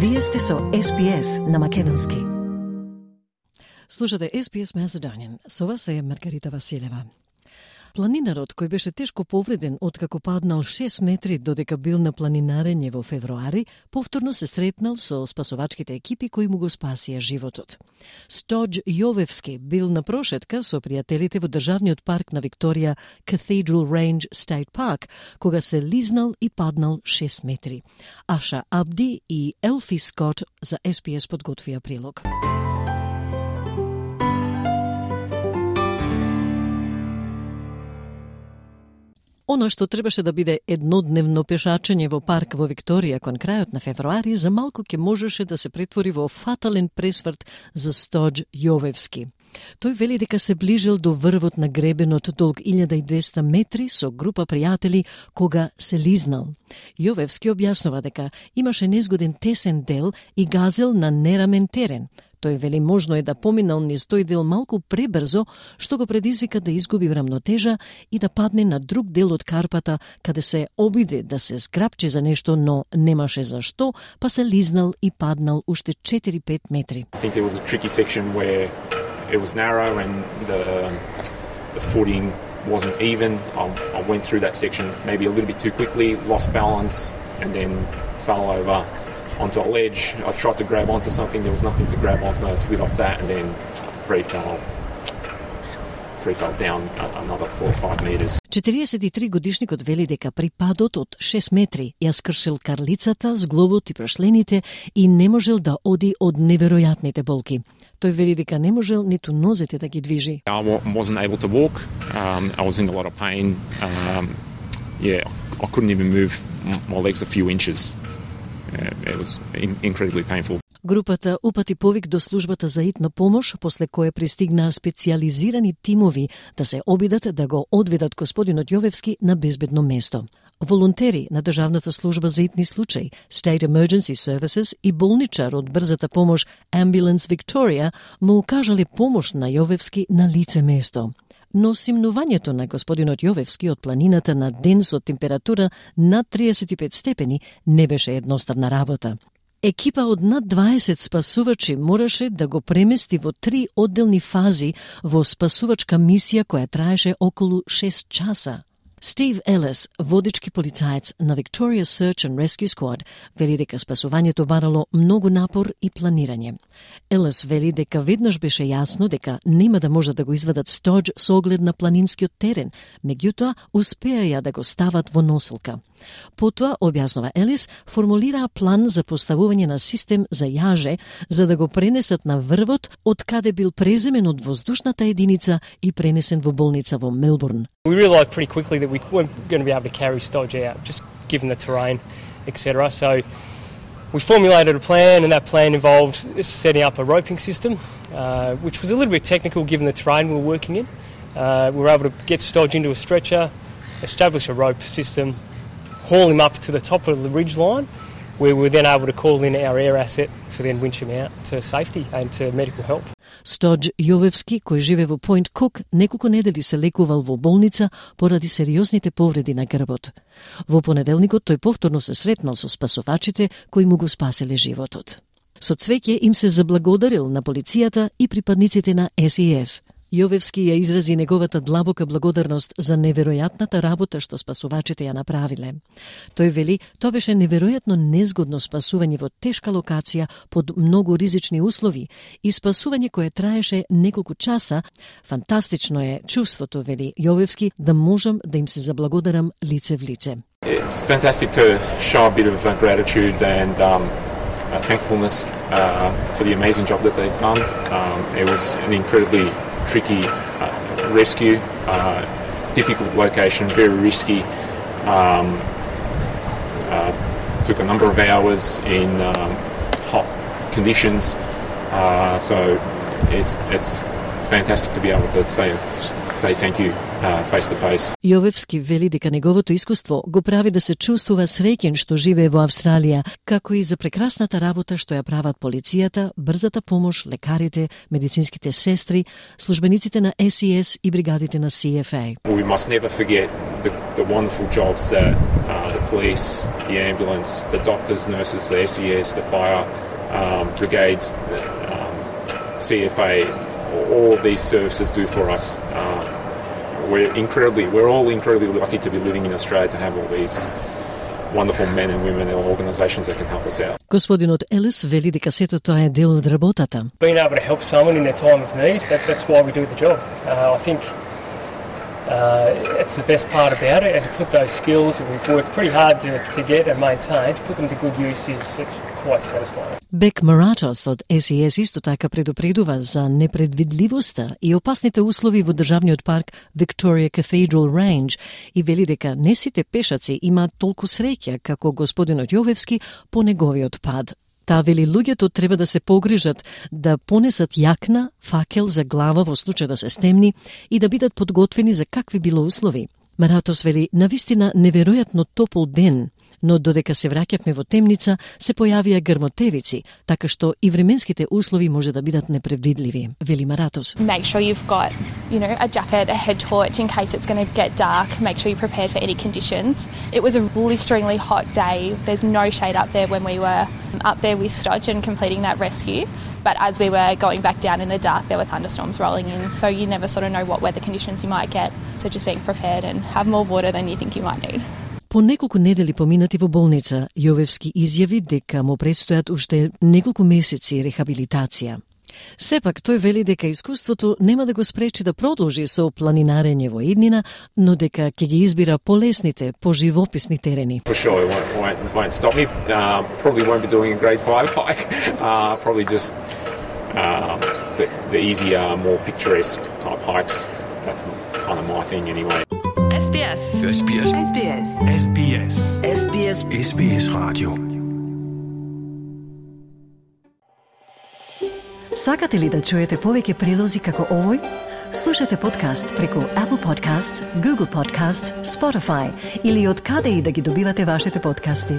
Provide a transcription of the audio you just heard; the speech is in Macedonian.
Вие сте со SPS на македонски. Слушате SPS Macedonian. Со вас е Маргарита Василева. Планинарот кој беше тешко повреден откако паднал 6 метри додека бил на планинарење во февруари, повторно се сретнал со спасовачките екипи кои му го спасија животот. Стодж Јовевски бил на прошетка со пријателите во државниот парк на Викторија, Cathedral Range State Park, кога се лизнал и паднал 6 метри. Аша Абди и Елфи Скот за SPS подготвија прилог. Оно што требаше да биде еднодневно пешачење во парк во Викторија кон крајот на февруари, за малку ќе можеше да се претвори во фатален пресврт за Стодж Јовевски. Тој вели дека се ближел до врвот на гребенот долг 1200 метри со група пријатели кога се лизнал. Јовевски објаснува дека имаше незгоден тесен дел и газел на нерамен терен. Тој вели можно е да поминал низ тој дел малку пребрзо, што го предизвика да изгуби рамнотежа и да падне на друг дел од карпата, каде се обиде да се зграпчи за нешто, но немаше за што, па се лизнал и паднал уште 4-5 метри. I think there was a tricky section where it was narrow and the footing wasn't even. I went through that section maybe a little bit too quickly, lost balance and then fell over onto a ledge. I tried to grab onto something, there was nothing to grab on, so I slid off that and then free fell down another 4 or 5 meters. 43 годишникот вели дека при падот од 6 метри ја скршил карлицата, зглобот и прошлените и не можел да оди од неверојатните болки. Тој вели дека не можел ниту нозете да ги движи. I wasn't able to walk. I was in a lot of pain. I couldn't even move my legs a few inches. It was incredibly painful. Групата упати повик до службата за итна помош, после кое пристигнаа специјализирани тимови да се обидат да го одведат господинот Јовевски на безбедно место. Волонтери на Државната служба за итни случаи, State Emergency Services и болничар од брзата помош Ambulance Victoria му укажале помош на Јовевски на лице место. Но симнувањето на господинот Јовевски од планината на ден со температура над 35 степени не беше едноставна работа. Екипа од над 20 спасувачи мораше да го премести во 3 одделни фази во спасувачка мисија која траеше околу 6 часа. Стив Елес, водички полицаец на Victoria Search and Rescue Squad, вели дека спасувањето барало многу напор и планирање. Елес вели дека веднаш беше јасно дека нема да можат да го извадат Стодж со оглед на планинскиот терен, меѓутоа успеа да го стават во носилка. Потоа, објаснува Елис, формулираа план за поставување на систем за јаже за да го пренесат на врвот од каде бил преземен од воздушната единица и пренесен во болница во Мелбурн. We realised pretty quickly that we weren't going to be able to carry Stodge out, just given the terrain, etc. So we formulated a plan, and that plan involved setting up a roping system, which was a little bit technical given the terrain we were working in. We were able to get Stodge into a stretcher, establish a rope system, haul him up to the top of the ridge line, where we were then able to call in our air asset to then winch him out to safety and to medical help. Стодж Јовевски, кој живе во Point Cook, неколку недели се лекувал во болница поради сериозните повреди на грбот. Во понеделникот тој повторно се сретнал со спасувачите кои му го спаселе животот. Со цвеќе им се заблагодарил на полицијата и припадниците на SES. Јовевски ја изрази неговата длабока благодарност за неверојатната работа што спасувачите ја направиле. Тој вели, тоа беше неверојатно незгодно спасување во тешка локација под многу ризични услови и спасување кое траеше неколку часа. Фантастично е чувството, вели Јовевски, да можам да им се заблагодарам лице в лице. It's fantastic to show a bit of gratitude and thankfulness for the amazing job that they've done. It was an incredibly tricky rescue, difficult location, very risky. Took a number of hours in hot conditions, so it's fantastic to be able to say thank you face to face. Јовевски вели дека неговото искуство го прави да се чувствува среќен што живее во Австралија, како и за прекрасната работа што ја прават полицијата, брзата помош, лекарите, медицинските сестри, службениците на SES и бригадите на CFA. We must never forget the wonderful jobs that the police, the ambulance, the doctors, nurses, the SES, the fire brigades, CFA, all of these services do for us. We're all incredibly lucky to be living in Australia to have all these wonderful men and women and organisations that can help us out. Господинот Елис вели дека сето тоа е дел од работата. Being able to help someone in their time of need, that's why we do the job. I think it's the best part about it, and to put those skills that we've worked pretty hard to get and maintain, to put them to good use it's quite satisfying. Бек Маратос од SES исто така предупредува за непредвидливоста и опасните услови во државниот парк Victoria Cathedral Range и вели дека не сите пешаци имаат толку среќа како господинот Јовевски по неговиот пад. Таа вели луѓето треба да се погрижат да понесат јакна, факел за глава во случај да се стемни и да бидат подготвени за какви било услови. Маратос вели навистина неверојатно топол ден, но додека се враќавме во темница, се појавија грмотевици, така што и временските услови може да бидат непредвидливи, вели Маратос. Make sure you've got, a jacket, a head torch in case it's going to get dark. Make sure you're prepared for any conditions. It was a blisteringly hot day. There's no shade up there when we were up there with Stodge and completing that rescue. But as we were going back down in the dark, there were thunderstorms rolling in, so you never sort of know what weather conditions you might get. So just being prepared and have more water than you think you might need. По неколку недели поминати во болница, Јовевски изјави дека му предстојат уште неколку месеци рехабилитација. Сепак, тој вели дека искуството нема да го спречи да продолжи со планинарење во иднина, но дека ќе ги избира полесните, поживописни терени. For sure, it won't stop me. Probably won't be doing a grade 5 hike. Probably just the easier, more picturesque type hikes. That's kind of my thing anyway. SBS. SBS. SBS. SBS. SBS. SBS Radio. Сакате ли да чуете повеќе прилози како овој? Слушате подкаст преку Apple Podcasts, Google Podcasts, Spotify или од каде и да ги добивате вашите подкасти.